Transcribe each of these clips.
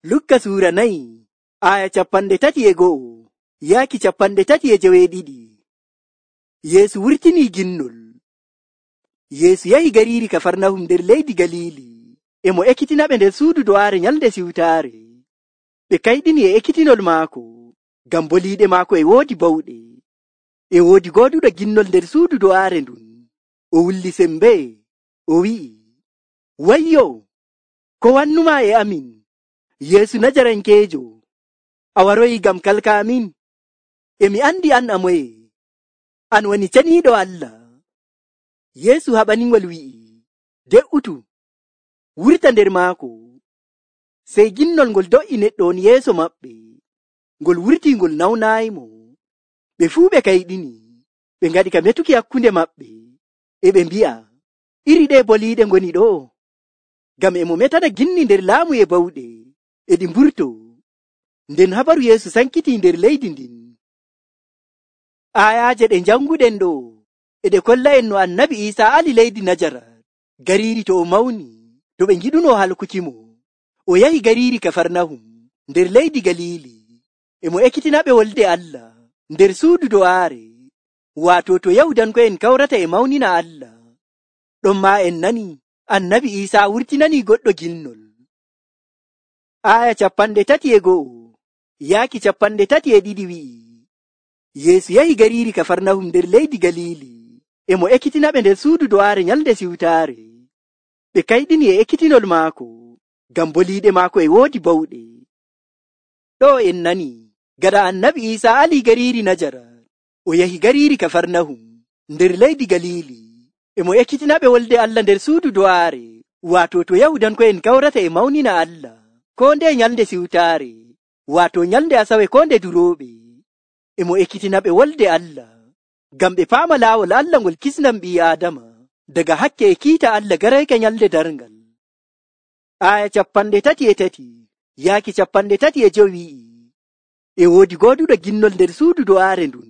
Lukka suura 4 aya 31 yaaki 32. Yeesu wurtinii ginnol. Yeesu yahi gariiri Kafarnahum nder leydi Galili. E mo ekkitinaɓe nder suudu do'aare nyalnde siwtaare. Ɓe kayɗini e ekkitinol maako, ngam boliiɗe maako e woodi bawɗe. E woodi gooduɗo ginnol nder suudu do'aare ndun. O wulli sembe, o wi'i, wayyo, ko wannumaa e amin, Yeesu Najarankeejo? A waroyi ngam kalka amin? E mi andi an a moye. An woni ceniiɗo Allah. Yeesu haɓaningol wi'i, de'utu, wurta nder maako. Sey ginnol ngol do'i neɗɗo on yeeso maɓɓe. Ngol wurtii ngol nawnaayimo. Ɓe fuu ɓe kayɗini, ɓe ngaɗi ka metuki hakkunde maɓɓe, e ɓe mbi'a, iri ɗe boliiɗe ngoni ɗo? Ngam e mo metana ginni nder laamu e bawɗe, e ɗi mburto. Nden habaru Yeesu sankitii nder leydi ndin. Ayaaje ɗe janguɗen ɗo e ɗe kolla'en no Annabi Iisaa ali leydi Najarat, gariiri to o mawni, to ɓe ngiɗuno halkukimo. O yahi gariiri Kafarnahum nder leydi Galili, e mo ekkitinaɓe wolde Allah nder suudu do'aare, waato to Yahudanko'en kawrata e mawnina Allah. Ɗon maa en nani Annabi Iisaa wurtinanii goɗɗo ginnol. Aya 31 yaaki 32 wi'i, Yeesu yahi gariiri Kafarnahum nder leydi Galili, e mo ekkitinaɓe nder suudu do'aare nyalnde siwtaare. Ɓe kayɗini e ekkitinol maako, ngam boliiɗe maako e woodi bawɗe. Ɗo en nani, gaɗa Annabi Iisaa ali gariiri Najarat, o yahi gariiri Kafarnahum nder leydi Galili, e mo ekkitinaɓe wolde Allah nder suudu do'aare, waato to Yahudanko'en kawrata e mawnina Allah, ko nde nyalnde siwtaare, waato nyalnde Asawe ko nde durooɓe. E mo ekkitinaɓe wolde Allah, ngam ɓe paama laawol Allah ngol kisnam ɓii Aadama daga hakke e kiita Allah garayka nyalde darngal. Aya 33 yaaki 35 wi'i, e woodi gooduɗo ginnol nder suudu do'aare ndun.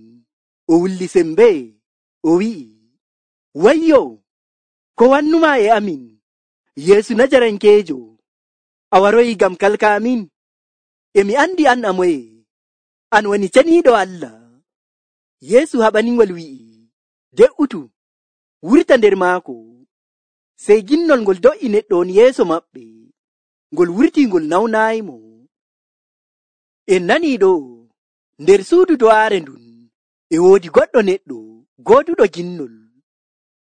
O wulli sembe, o wi'i, wayyo, ko wannumaa e amin, Yeesu Najarankeejo? A waroyi ngam kalka amin? E mi andi an a moye. An woni ceniiɗo Allah. Yeesu haɓaningol wi'i, de'utu, wurta nder maako. Sey ginnol ngol do'i neɗɗo on yeeso maɓɓe. Ngol wurtii ngol nawnaayimo. En nanii ɗo, nder suudu do'aare ndun, e woodi goɗɗo neɗɗo gooduɗo ginnol.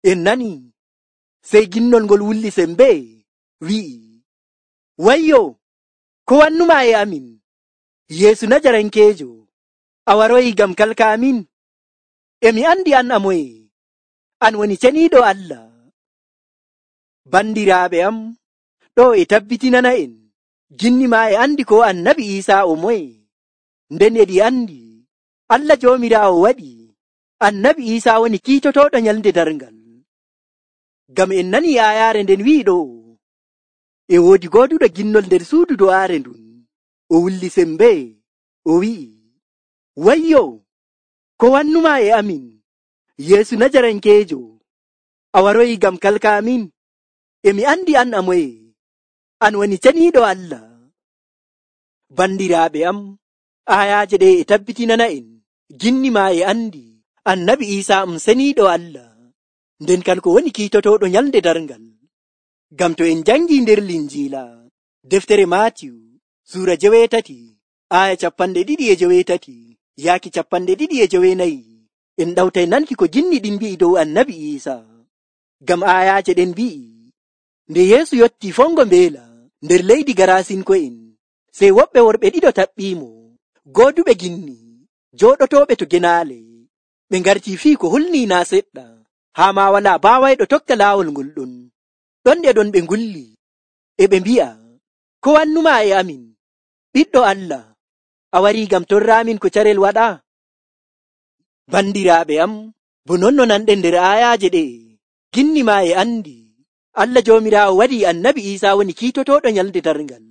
En nanii, sey ginnol ngol wulli sembe, wi'i, wayyo, ko wannumaa e amin, Yeesu Najarankeejo? A waroyi ngam kalka amin? E mi andi an a moye. An woni ceniiɗo Allah. Bandiraaɓe am, ɗo e tabbitinana en, ginni maa e andi ko Annabi Iisaa o moye. Nden e ɗi andi, Allah Joomiraawo waɗi Annabi Iisaa woni kiitotooɗo nyalnde darngal. Ngam en nanii aayaare nden wi'i ɗo, e woodi gooduɗo ginnol nder suudu do'aare ndun. O wulli sembe, o wi'i, wayyo, ko wannumaa e amin, Yeesu Najarankeejo? A waroyi ngam kalka amin? E mi andi an a moye. An woni ceniiɗo Allah. Bandiraaɓe am, ayaaje ɗe e tabbitinana en, ginni maa e andi Annabi Iisaa seniiɗo Allah, nden kanko woni kiitotooɗo nyalnde darngal. Ngam to en jangi nder Linjiila, deftere Maatiyu, suura 8, aya 28 yaaki 29, en ɗawtay nanki ko ginni ɗin mbi'i dow Annabi Iisaa. Ngam ayaaje ɗen mbi'i, nde Yeesu yotti fongo mbeela nder leydi Garasinko'en, sey woɓɓe worɓe ɗiɗo taɓɓiimo, gooduɓe ginni, jooɗotooɓe to genaale. Ɓe ngartii fii ko hulnii naa seɗɗa, haa ma walaa baawayɗo tokka laawol ngol ɗon. Ɗon e ɗon ɓe ngulli, e ɓe mbi'a, ko wannumaa e amin, Ɓiɗɗo Allah? A warii ngam torraamin ko carel waɗa? Bandiraaɓe am, bo non no nanɗen nder aayaaje ɗe, ginni maa e andi Allah Joomiraawo waɗii Annabi Iisaa woni kiitotooɗo nyalnde darngal.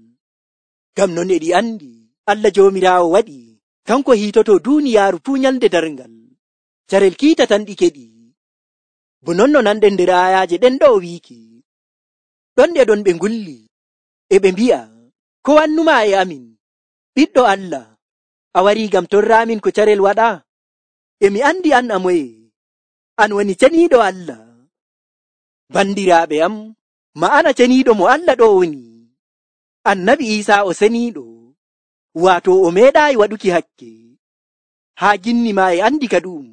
Ngam non e ɗi andi Allah Joomiraawo waɗi kanko hiitoto duuniyaaru fuu nyalnde darngal. Carel kiita tan ɗi keɗi. Bo non no nanɗen nder aayaaje ɗen ɗo wiiki. Ɗon e ɗon ɓe ngulli, e ɓe mbi'a, ko wannumaa e amin, ɓiɗɗo Allah, a warii ngam torraamin ko carel waɗa? E mi andi an a moye, an woni ceniiɗo Allah. Bandiraaɓe am, ma'ana ceniiɗo mo Allah ɗo woni. Annabi Iisaa o seniiɗo, waato o meeɗaayi waɗuki hakke, haa ginni maa e andi ka ɗum.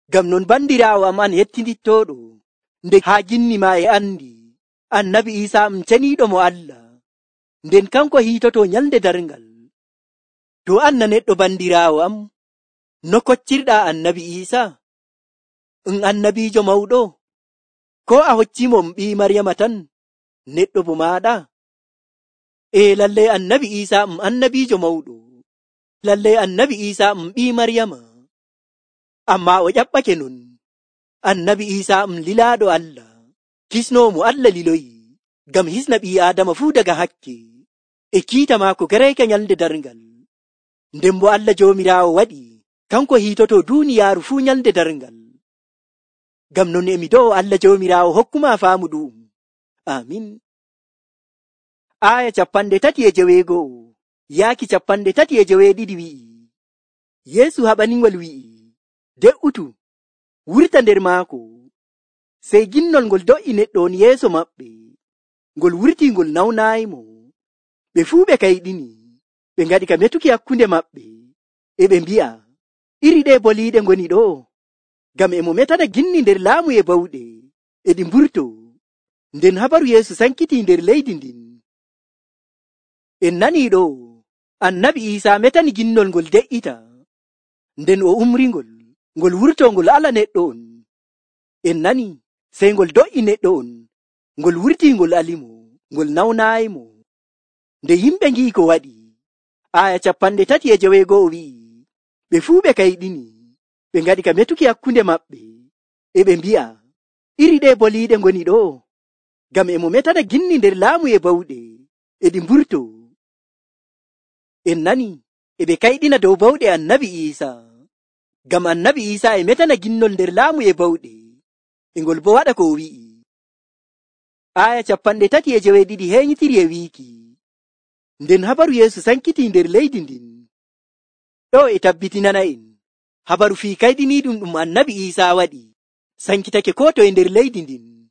Ngam non bandiraawo am an hettindittooɗo, nde haa ginni maa e andi, Annabi Iisaa ceniiɗo mo Allah, nden kanko hiitoto nyalde darngal. To an na neɗɗo bandiraawo am, no koccirɗaa Annabi Iisaa? Annabiijo mawɗo? Ko a hoccimo ɓii Maryama tan, neɗɗo bo maaɗa? Lallai Annabi Iisaa annabiijo mawɗo. Lallai Annabi Iisaa ɓii Maryama. Ammaa o ƴaɓɓake non. Annabi Iisaa lilaaɗo Allah, kisnoowo mo Allah liloyi, ngam hisna ɓii Aadama fuu daga hakke, e kiita maako garayka nyalde darngal. Nden bo Allah Joomiraawo waɗi, kanko hiitoto duuniyaaru fuu nyalde darngal. Ngam non emi do'o Allah Joomiraawo hokkuma faamu ɗum. Amin. Aya 31 yaaki 32 wi'i, Yeesu haɓaningol wi'i, de'utu, wurta nder maako. Sey ginnol ngol do'i neɗɗo on yeeso maɓɓe, ngol wurti ngol nawnaayimo. Ɓe fuu ɓe kayɗini, ɓe ngaɗi ka metuki hakkunde maɓɓe, e ɓe mbi'a, iri ɗe boliiɗe ngoni ɗo, ngam emo metana ginni nder laamu e bawɗe, e ɗi mburto. Nden habaru Yeesu sankiti nder leydi ndin. En nanii ɗo, Annabi Iisaa metani ginnol ngol de'ita, nden o umringol, ngol wurto ngol ala neɗɗo on. En nani, sey ngol do'i neɗɗo on, ngol wurti ngol alimo, ngol nawnaayimo. Nde yimɓe ngi'i ko waɗi, aya 36 wi'i, ɓe fuu ɓe kayɗini, ɓe ngaɗi ka metuki hakkunde maɓɓe, e ɓe mbi'a, iri ɗe boliiɗe ngoni ɗo, ngam emo metana ginni nder laamu e bawɗe, e ɗi mburto. En nani, e ɓe kayɗina dow bawɗe Annabi Iisaa, ngam Annabi Iisaa e metana ginnol nder laamu e bawɗe, e ngol bo waɗa ko o wi'i. Aya 32 heeñitiri e wiiki, nden habaru Yeesu sankiti nder leydi ndin. Ɗo e tabbitinana en, habaru fii kayɗiniiɗum ɗum Annabi Iisaa waɗi, sankitake ko to e nder leydi ndin.